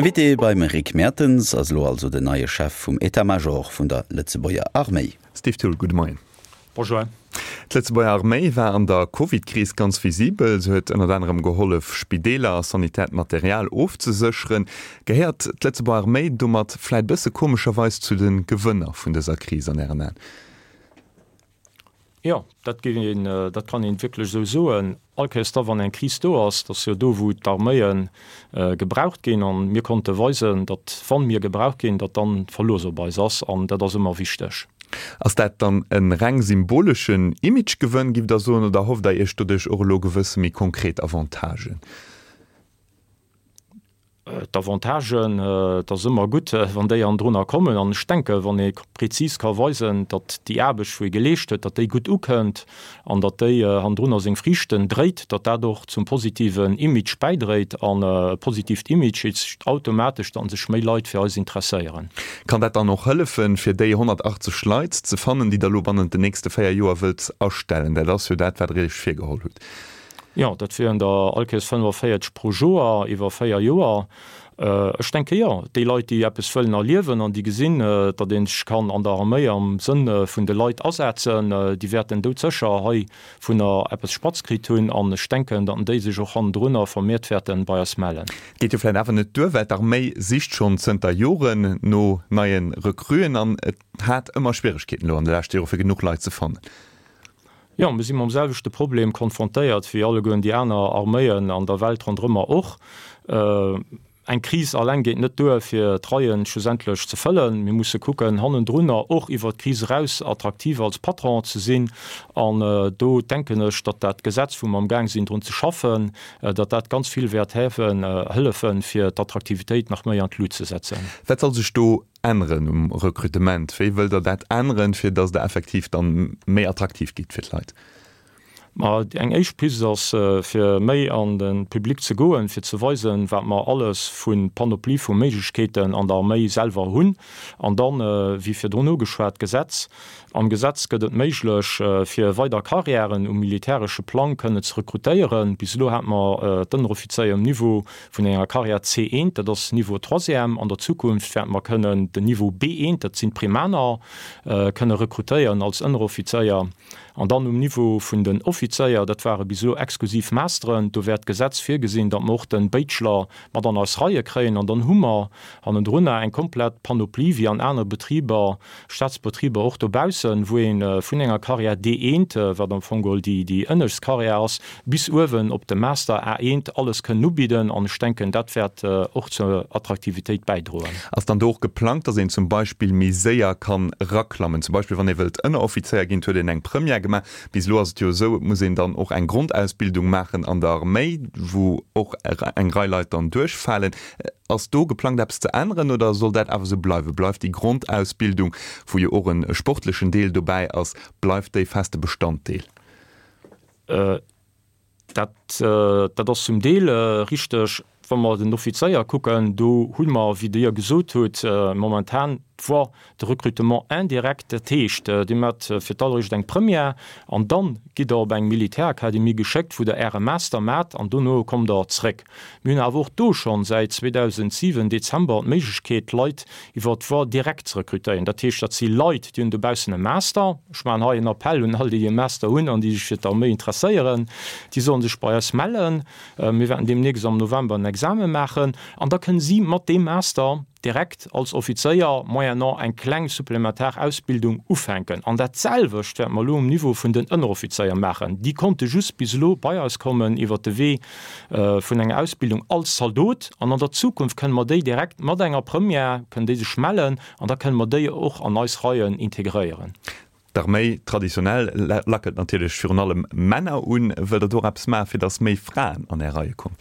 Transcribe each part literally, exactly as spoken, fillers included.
Invité beim Rick Mertens ass elo also den neie Chef vum État-Major vun der Lëtzebuerger Arméi. Steve Thull, gudde Moien. Bonjour. D'Lëtzebuerger Arméi war an der Covid-Kris ganz visibel. Se huet ënnert anerem gehollef, Spideeler a sanitäert Material ofzesécheren. Gehéiert d'Lëtzebuerger Arméi domat vläit bësse komescherweis zu de Gewënner vun dëser Kris an Ären Aen? Jo, dat géif een, dat kann een wierklech esou soen. All Kéiers da wann eng Kris do ass, dat ass jo do wou d'Arméie gebraucht ginn an mir konnte weisen, datt wann mir gebraucht ginn, datt dann Verlooss op eis ass an dat ass ëmmer wichteg. Ass dat dann e reng symboleschen Imagegewënn, giff Der soen, oder erhofft Der Iech doduerch och elo gewësse méi konkret Avantagen? D'Avantagen, et ass ëmmer gutt, wann déi hannendrunner kommen. An ech denken, wann ee prezis ka weisen, datt déi Aarbecht, wou ee geleescht huet, datt déi gutt ukënnt an datt déi hannendrunner seng Friichten dréit, datt dat och zum positiven Image bäidréit. An e positiivt Image heescht automatesch, datt sech méi Leit fir eis interesséieren. Kann dat dann och hëllefen, fir déi honnertachtzeg Leit ze fannen, déi Der elo bannent den nächste véier Joer wëllt astellen? Dat ass jo dat, wat Der Iech virgeholl hutt. Jo, dat wieren der allkéiers fënnefaféierzeg pro Joer iwwer véier Joer. Ech denke jo, déi Leit, déi eppes wëllen erliewen an déi gesinn, datt ee sech kann an der Arméi am Sënn vun de Leit asetzen, déi wäerten doudsécher heivunner eppes spatz kritt hunn. An ech denken, datt déi sech och hannendrunner vermeert wäerte bei eis mellen. Geet jo vläicht awer net duer, well d'Arméi sicht schonn zënter Joren no neie Recruen an et hat ëmmer Schwieregkeeten elo an de leschte Jore fir genuch Leit ze fannen. Jo, mir si mam selwechte Problem konfrontéiert wéi allegueren déi aner Arméien an der Welt ronderëmmer och. Eng Kris alleng geet net duer, fir d'Reien schlussendlech ze fëllen. Mir musse kucken, hannendrunner och iwwert d'Kris eraus attraktiv als Patron ze sinn. An do denken ech, datt dat Gesetz, wou mer amgaang sinn drun ze schaffen, datt dat ganz vill wäert hëllefen, fir d'Attraktivitéit nach méi an d'Lut ze setzen. Wat soll sech do änneren um Rekrutement? Wéi wëllt Der dat änneren, fir datt Der effektiv dann méi attraktiv gitt fir d'Leit? Ma eng éischt Pist ass, fir méi an de Public ze goen, fir ze weisen, wat mer alles vu Panoplie vu Méiglechkeeten an der Arméi selwer hunn. An dann, wéi virdrun ugeschwat, d'Gesetz. Am Gesetz gëtt et méiglech, fir weider Carrièren um militäresche Plang kënne ze rekrutéieren. Bis elo hate mer d'Ënneroffizéier um Niveau vun enger Carrière C eent, dat ass Niveau Troisième. An der Zukunft wäerte mer kënnen den Niveau B eent, dat sinn d'Primaner, kënne rekrutéieren als Ënneroffizéier. An dann um Niveau vun den Offizéier, dat ware bis elo exklusiv Masteren, do wäert d'Gesetz virgesinn, datt mer och de Bachelor mat an eis Reie kréien. An dann hu mer hannendrunner eng komplett Panoplie wéi an anere Betriber, Staatsbetriber och dobaussen, wou ee vun enger Carrière D eent, wat am Fong geholl déi déi ënnescht Carrière ass, bis uewen op de Master A eent alles kënnen ubidden. An ech denken, dat wäert och zur Attraktivitéit bäidroen. Ass dann do och geplangt, datt een zum Beispill méi séier kann eraklammen? Zum Beispill wann ee wëllt Ënneroffizéier ginn, et huet een eng Première gemaach. Bis elo ass et jo esou, et muss een dann och eng Grondausbildung maachen an der Arméi, wou och eng Rei Leit dann duerchfalen. Ass do geplangt eppes ze änneren oder soll dat awer esou bleiwen? Bleift déi Grondausbildung, wou jo och e sportlechen Deel dobäi ass, bleift déi feste Bestanddeel? Dat, dat ass zum Deel richteg. Wa mer den Offizéier kucken, do hu mer, wéi Dir gesot hutt, momentan d'Voie de recrutement indirect. Dat heescht, Dir maacht fir d'alleréischt eng Première an dann gitt Der op eng Militärakademie geschéckt, wou Der Äre Master maacht an dono kommt Der zréck. Mir hunn awer och do schonn säit zweedausendsiwen Dezember d'Méiglechkeet, Leit iwwer d'Voie directe ze rekrutéieren. Dat heescht, dat si Leit, déi hunn dobaussen e Master. Ech maachen hei en Appell un all déi, déi e Master hunn an déi sech fir d'Arméi interesséieren, déi sollen sech bei eis mellen. Mir wäerten deemnächst am November en Examen maachen an da kënnen si mat deem Master direkt als Offizéier moyennant eng kleng supplementar Ausbildung ufänken. An dat selwecht wäerte mer elo um Niveau vun den Ënneroffizéier maachen. Déi konnte just bis elo bei eis kommen iwwert de Wee vun enger Ausbildung als Zaldot. An an der Zukunft kënnen mer déi direkt mat enger Première, kënnen déi sech mellen an da kënnen mer déi och an eis Reien integréieren. D'Arméi traditionell lackelt natierlech virun allem Männer un. Wëllt Der do och eppes maachen, fir datt méi Fraen an Är Reie kommen?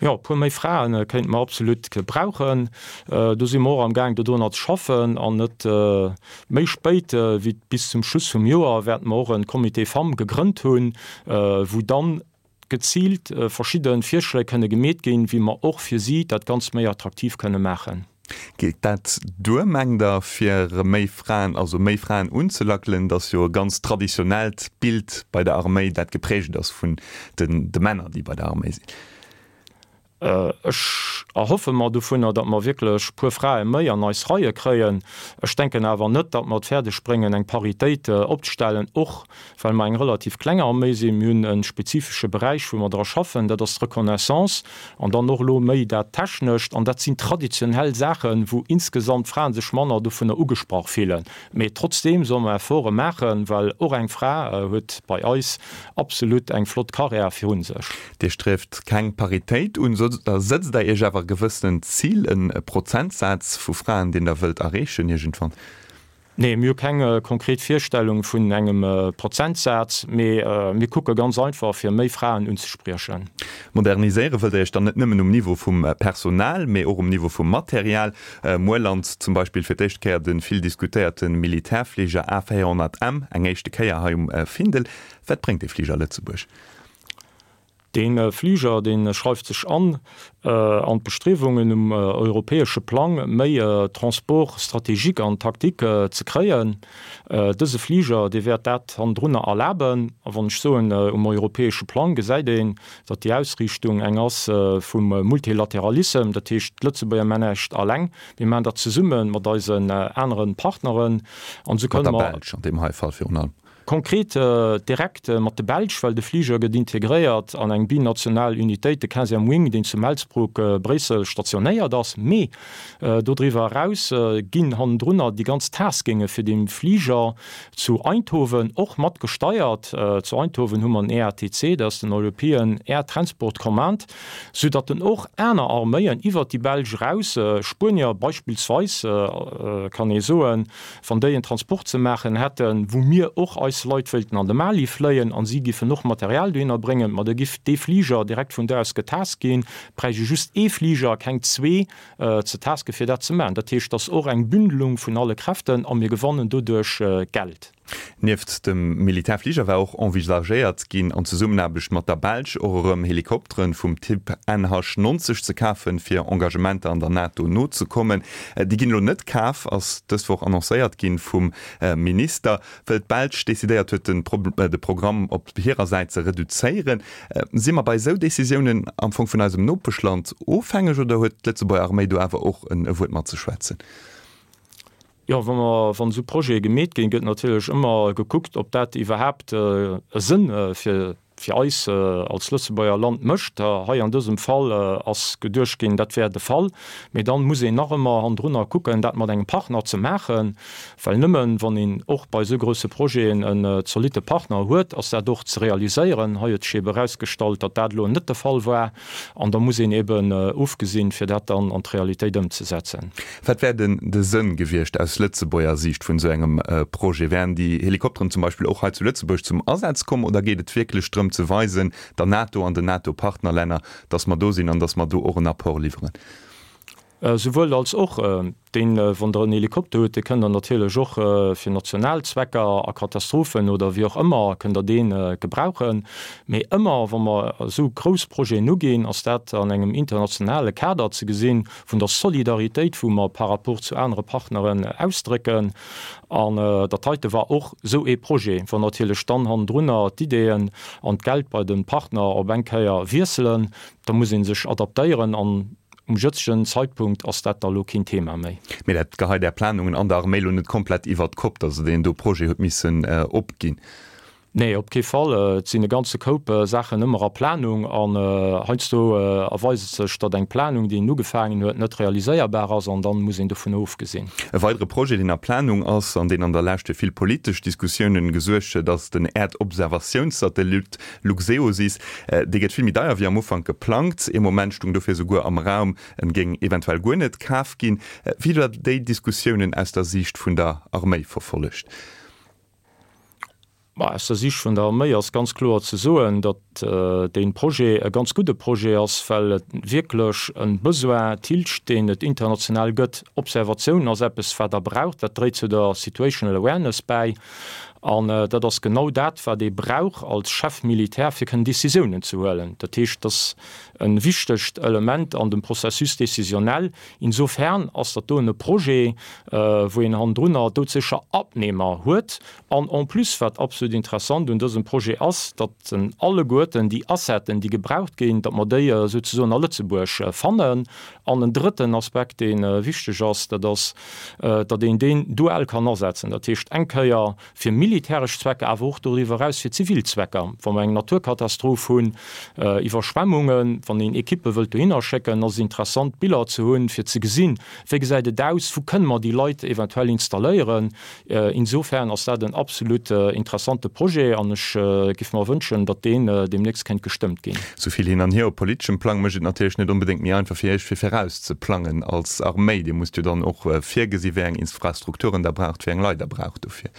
Jo, e puer méi Frae kéinte mer absolut gebrauchen. Do si mer och am Gaang dodrunner ze schaffen. An net méi spéit wéi bis zum Schluss vum Joer wäerte mer och e Comité Femmes gegrënnt hunn, wou dann geziilt verschidde Virschléi kënne gemeet ginn, wéi mer och fir si dat Ganzt méi attraktiv kënne maachen. Geet dat duer, mengt Der, fir méi Fraen, also méi Fraen unzelackelen? Et ass jo e ganz traditionellt Bild bei der Arméi, dat geprägt ass vun de Männer, déi bei der Arméi sinn. Ech erhoffe mer dovunner, datt mer wierklech e puer Frae méi an eis Reie kréien. Ech denken awer net, datt mer et fäerdeg bréngen, eng Paritéit opzestellen, och well mer eng relativ kleng Arméi sinn. Mir hunn e spezifesche Beräich, wou mer dra schaffen, dat ass d'Reconnaissance an dann och elo méi dat Technescht. An dat sinn traditionell Saachen, wou insgesamt d'Frae sech manner dovunner ugesprach fillen. Mee trotzdeem solle mer Efforte maachen, well och eng Fra huet bei eis absolut eng flott Karriär virun sech. Dir strieft keng Paritéit un, da sëtzt Der Iech awer e gewëssent Zil, e Prozentsaz vu Fraen, deen Der wëllt erreechen iergendwann? Nee, mir hu keng konkret Virstellung vun engem Prozentsaz, mee mir kucke ganz einfach, fir méi Fraen unzespriechen. Moderniséiere wëllt Der Iech dann net nëmmen um Niveau vum Personal, mee och um Niveau vum Material. Muer lant zum Beispill fir d'éischt Kéier de vill diskutéierte Militärfliger A véierhonnert M eng éischte Kéier hei um Findel. Wat bréngt dee Fliger Lëtzebuerg? Dee Fliger, dee schreift sech an an d'Bestriewungen um europäesche Plang, méi Transport stratégique an tactique ze kréien. Dëse Fliger, dee wäert dat hannendrunner erlaben. A wann ech soen um europäesche Plang, gesäit een, datt déi Ausriichtung eng ass vum Multilateralissem. Dat heescht, d'Lëtzebuerger man näischt alleng, mir maachen dat zesumme mat eisen anere Partneren. An esou kënne mer. Mat der Belsch an deem hei Fall virun allem. Konkret direkt mat de Belsch, well de Fliger gëtt integréiert an eng binational Unitéit, de quinzième Wing, deen zu Melsbroek, Bréissel, stationéiert ass. Mee dodriwwer eraus ginn hannendrunner déi ganz Taskinge fir dee Fliger zu Eindhoven och mat gesteiert. Zu Eindhoven hu mer en E A T C, dat ass den European Air Transport Command, soudatt en och aner Arméien iwwert déi Belsch eraus, Spuenier beispillsweis, kann ee soen, wann déi en Transport ze maachen hätten, wou mir och eis Leit wéilten an de Mali fléien an si giffen och Material dohinner bréngen, ma da giff dee Fliger direkt vun do aus getask ginn. Bräicht ee just ee Fliger, keng zwee ze tasken, fir dat ze maachen. Dat heescht, et ass och eng Bündelung vun alle Kräften a mir gewannen doduerch Geld. Nieft dem Militärfliger war och envisagéiert ginn, an Zesummenaarbecht mat der Belsch och erëm Helikoptere vum Typ N H neunzeg ze kafen, fir Engagementer an der NATO nozekommen. Déi ginn elo net kaf, ass dës Woch annoncéiert ginn vum Minister, well d'Belsch decidéiert huet, de Programm op hirer Säit ze reduzéieren. Si mer bei esou Decisiounen am Fong vun eisem Nopeschland ofhängeg oder huet d'Lëtzebuerger Arméi do awer och e Wuert matzeschwätzen? Jo, wa mer, wann esou Projete gemeet ginn, gëtt natierlech ëmmer gekuckt, ob dat iwwerhaapt e Sënn fir, fir eis als Lëtzebuerger Land mécht. Hei an dësem Fall ass geduecht ginn, dat wär de Fall. Mee dann muss een nach ëmmer hannendrunner kucken, dat mat engem Partner ze maachen, well nëmmen, wann een och bei esou grousse Projeten en zolitte Partner huet, ass dat och ze realiséieren. Hei huet sech ebe erausgestallt, datt dat elo net de Fall war. An da muss een eben ofgesinn, fir dat dann an d'Realitéit ëmzesetzen. Wat wär denn de Sënn gewiescht aus Lëtzebuerger Siicht vun esou engem Projet? Wären déi Helikopteren zum Beispill och hei zu Lëtzebuerg zum Asaz komm oder geet et wierklech drëm ze weisen, der NATO an den NATO-Partnerlänner, datt mer do sinn an datt mer do och en Apport liwweren? Souwuel als och. Deen, wann Der en Helikopter hutt, dee kënnt Der natierlech och fir national Zwecker a Katastrophen oder wéi och ëmmer, kënnt Der dee gebrauchen. Mee ëmmer, wa mer esou grouss Projeten uginn, ass dat an engem internationale Kader ze gesinn, vun der Solidaritéit, wou mer par rapport zu anere Partneren ausdrécken. An dat heite war och esou ee Projet, wann natierlech dann hannendrunner d'Ideeën an d'Geld bei de Partner op eng Kéier wiesselen, da muss ee sech adaptéieren an Um jëtzegen Zeitpunkt ass dat da lo keen Thema méi. Mee dat geheit Är Planungen an der Arméi lo net komplett iwwert d'Kopp, datt Der deen do Projet hutt missen opginn? Nee, op kee Fall. Et sinn e ganze Koup Saachen ëmmer a Planung an heiansdo erweist et sech, datt eng Planung, déi een ugefaangen huet, net realiséierbar ass an dann muss een dovun ofgesinn. E weidere Projet, deen a Planung ass an deen an der Lescht fir vill politesch Diskussiounen gesuergt huet, ass den Äerdobservatiounssatellit Luxeosys. Dee gëtt vill méi deier wéi am Ufank geplangt. Ee Moment stung dofir souguer am Raum, en géing eventuell guer net kaf ginn. Wéi hutt Der déi Diskussiounen aus der Siicht vun der Arméi verfollegt? Ma aus der Siicht vun der Arméi ass ganz kloer ze soen, datt dee Projet e ganz gudde Projet ass, well et wierklech e Besoin tilgt, deen et international gëtt. Observatioun ass eppes, wat Der braucht, dat dréit zu der Situational Awareness bäi. An dat ass genau dat, wat ee brauch als Chef militaire, fir kënnen Décisiounen ze huelen. Dat heescht, dat ass e wichtegt Element an dem Processus décisionnel. Insofern ass dat doen e Projet, wou een hannendrunner doudsécher Abnehmer huet. An en plus, wat absolut interessant un dësem Projet ass, datt en alleguerten déi Asseten, déi gebraucht ginn, datt mer déi souzesoen a Lëtzebuerg fannen. An en drëtten Aspekt, dee wichteg ass, dat ass, datt een deen dual kann asetzen, dat heescht eng Kéier fir militäresch Zwecker, awer och doriwwer eraus fir zivil Zwecker. Wa mer eng Naturkatastroph hunn, Iwwerschwemmungen, wann een Ekippe wëllt dohinner schécken, ass et interessant, Biller ze hunn, fir ze gesinn, wéi gesäit et aus, wou kënne mer déi Leit eventuell installéieren. Insofern ass dat en absolut interessante Projet an ech géif mer wënschen, datt deen deemnächst kéint gestëmmt ginn. Sou vill hin an hier op politeschem Plang mécht et natierlech net onbedéngt méi einfach fir Iech fir viraus ze plangen als Arméi. Dir musst jo dann och virgesi wéi eng Infrastrukturen Der braucht, wéi eng Leit Der braucht dofir.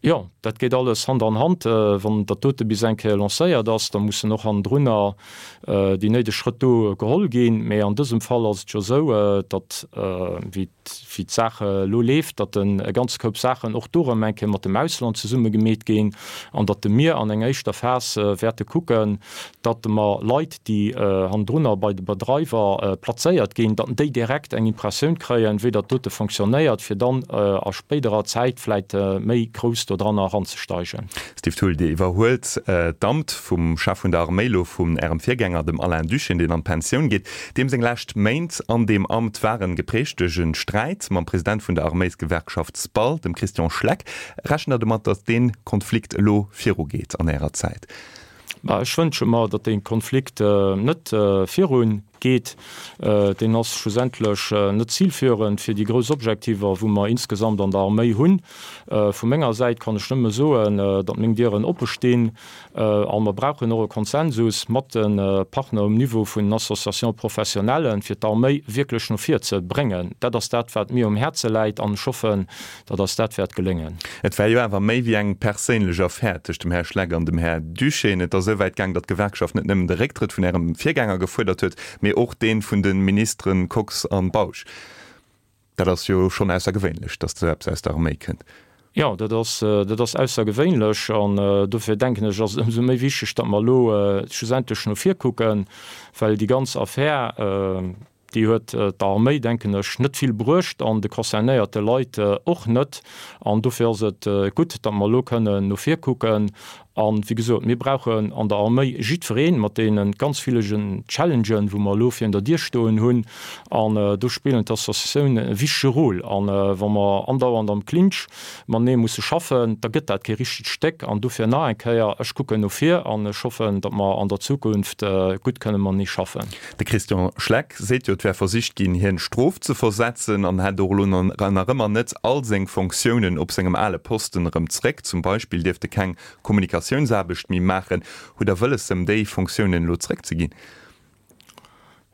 Jo, dat geet alles Hand an Hand. Wann dat dote bis eng Kéier lancéiert ass, da mussen och hannendrunner déi néideg Schrëtt do geholl ginn. Mee an dësem Fall ass et jo esou, datt, wéi d'Saach elo leeft, datt e ganze Koup Saachen och do erëm eng Kéier mat dem Ausland zesumme gemeet ginn an datt mir an enger éischter Phas wäerte kucken, datt mer Leit, déi hannendrunner bei de Bedreiwer plazéiert ginn, datt déi direkt eng Impressioun kréien, wéi dat dote fonctionnéiert, fir dann a spéiderer Zäit vläicht méi grouss dodranner eranzesteigen. Steve Thull, Dir iwwerhuelt d'Amt vum Chef vun der Arméi elo vun Ärem Virgänger, dem Alain Duschène, deen an d'Pensioun geet. Deem seng lescht Méint an deem Amt waren geprägt duerch e Sträit mam President vun der Arméisgewerkschaft SPAL, dem Christian Schleck. Rechent Der domat, datt dee Konflikt elo virugeet an Ärer Zäit? Ech wënsche mer, datt dee Konflikt net virungeet. Deen ass schlussendlech net zilführend fir déi grouss Objektiver, wou mer insgesamt an der Arméi hunn. Vu menger Säit kann ech nëmme soen, datt meng Dieren oppe stinn a mer brauchen och e Konsensus mat de Partner um Niveau vun den Associations professionnelles, fir d'Arméi wierklech no vir ze bréngen. Dat ass dat, wat mir um Häerze läit an ech hoffen, datt eis dat wäert geléngen. Et war jo awer méi wéi eng perséinlech Affär tëscht dem Här Schleck an dem Här Duschène. Et ass esou wäit gaang, datt d'Gewerkschaft net nëmmen de Récktrëtt vun Ärem Virgänger gefuerdert huet, mee och dee vun de Ministere Kox an Bausch. Dat ass jo schonn aussergewéinlech, datt esou eppes aus der Arméi kënnt. Jo, dat ass, dat ass aussergewéinlech an dofir denken ech, ass et ëmsou méi wichteg, datt mer elo schlussendlech no vir kucken, well déi ganz Affär, Déi huet der Arméi, denken ech, net vill bruecht an de concernéierte Leit och net. An dofir ass et gutt, datt mer elo kënnen no vir kucken. A wéi gesot, mir brauchen an der Arméi jiddweree mat deene ganz villegen Challengen, wou mer elo virun der Dier stoen hunn. An do spillen d'Associatiounen e wichtege Rôle. A wa mer andauernd am Clinch matenee musse schaffen, da gëtt dat kee richtegt Stéck. An dofir nach eng Kéier, ech kucken no vir an ech hoffen, datt mer an der Zukunft gutt kënne matenee schaffen. De Christian Schleck seet jo, et wär versicht ginn, hien Strof ze versetzen an hätt och elo nach ëmmer net all seng Fonctiounen op sengem ale Posten erëm zréck. Zum Beispill dierft e keng Kommunikatiounsaarbecht méi maachen. Hutt Der wëlles, em déi Fonctiounen elo zréckzeginn?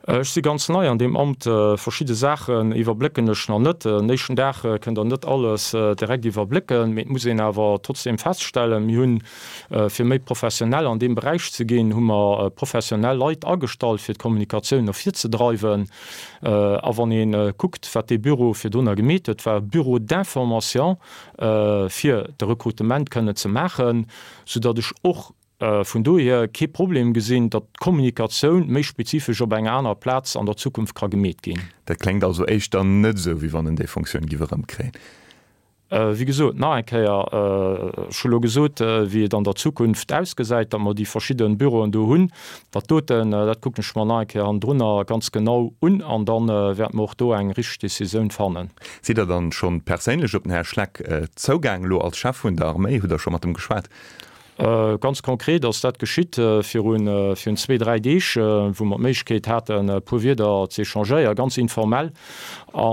Ech si ganz nei an deem Amt. Verschidde Saachen iwwerblécken ech nach net. En éischten Dag kënnt Der net alles direkt iwwerblécken, mee et muss een awer trotzdeem feststellen, mir hunn, fir méi professionell an deem Beräich ze ginn, hu mer professionell Leit agestallt, fir d'Kommunikatioun no vir ze dreiwen. A wann ee kuckt, wat dee Büro virdrunner gemeet huet, war e Bureau d'information, fir de Rekrutement kënnen ze maachen, soudatt ech och vun dohier kee Problem gesinn, datt d'Kommunikatioun méi spezifesch op enger anerer Plaz an der Zukunft ka gemeet ginn. Dat kléngt also éischter net esou, wéi wann en déi Fonctioun giff erëmkréien. Wéi gesot, nach eng Kéier, ech hu lo gesot, wéi et an der Zukunft ausgesäit, datt mer déi verschidde Büroen do hunn. Dat doten, dat kucken ech mer nach eng Kéier hannendrunner ganz genau un an da wäerte mer och do eng richteg Décisioun fannen. Sidd Der dann schonn perséinlech op den Här Schleck zougaang elo als Chef vun der Arméi? Hutt Der scho mat em geschwat? Ganz konkret ass dat geschitt virun virun zwee, dräi Deeg, wou mer d'Méiglechkeet haten, e puer Wierder ze échangéieren, ganz informell. A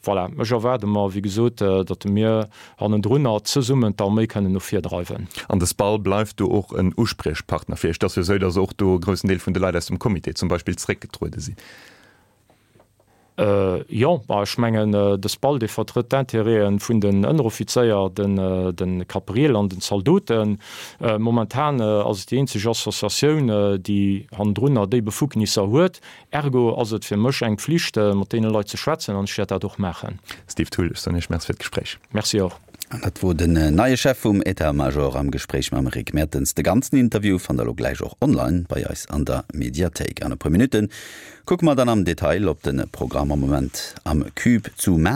voilà, ech erwaarde mer, wéi gesot, datt mir hannendrunner zesummen d'Arméi kënnen no vir dreiwen. An de SPAL bleift do och en Uspriechpartner fir Iech? Et ass jo esou, datt och do e groussen Deel vun de Leit aus dem Comité zum Beispill zréckgetruede sinn. Jo, ma ech mengen, de SPAL, dee vertrëtt d'Intérêten vun den Ënneroffizéier, de Kapriel an den Zaldoten. Momentan ass et déi eenzeg Associatioun, déi hannendrunner déi Befugnisser huet. Ergo ass et fir mech eng Pflicht, mat deene Leit ze schwätzen, an ech wäert dat och maachen. Steve Thull, ech soen Iech Merci fir d'Gespréich. Merci och. An dat wor den neie Chef vum État-Major am Gespréich mam Rick Mertens. De ganzen Interview fannt der elo gläich och online bei eis an der Mediathéik. An e puer Minutte kucke mer dann am Detail op de Programm am Moment am Cube zu Maarnech.